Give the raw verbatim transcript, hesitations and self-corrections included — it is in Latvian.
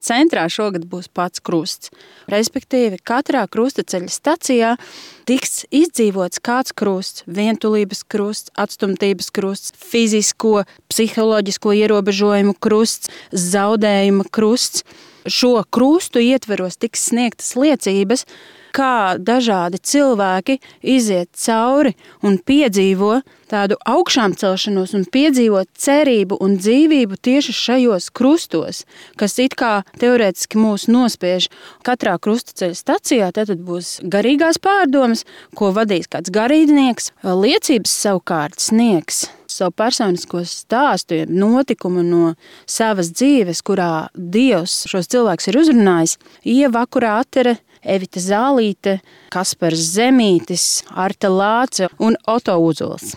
centrā šogad būs pats krusts. Respektīvi, katrā krustaceļa stacijā tiks izdzīvots kāds krusts, vientulības krusts, atstumtības krusts, fizisko, psiholoģisko ierobežojumu krusts, zaudējuma krusts. Šo krustu ietveros tiks sniegtas liecības, kā dažādi cilvēki iziet cauri un piedzīvo tādu augšām celšanos un piedzīvo cerību un dzīvību tieši šajos krustos, kas it kā teorētiski mūs nospiež. Katrā krustaceļa stacijā tad būs garīgās pārdomas, ko vadīs kāds garīdznieks. Liecības savukārt sniegs savu personisko stāstu, notikumu no savas dzīves, kurā Dievs šos cilvēkus ir uzrunājis. Ieva Akurātere, Evita Zālīte, Kaspars Zemītis, Arta Lāce un Oto Uzols.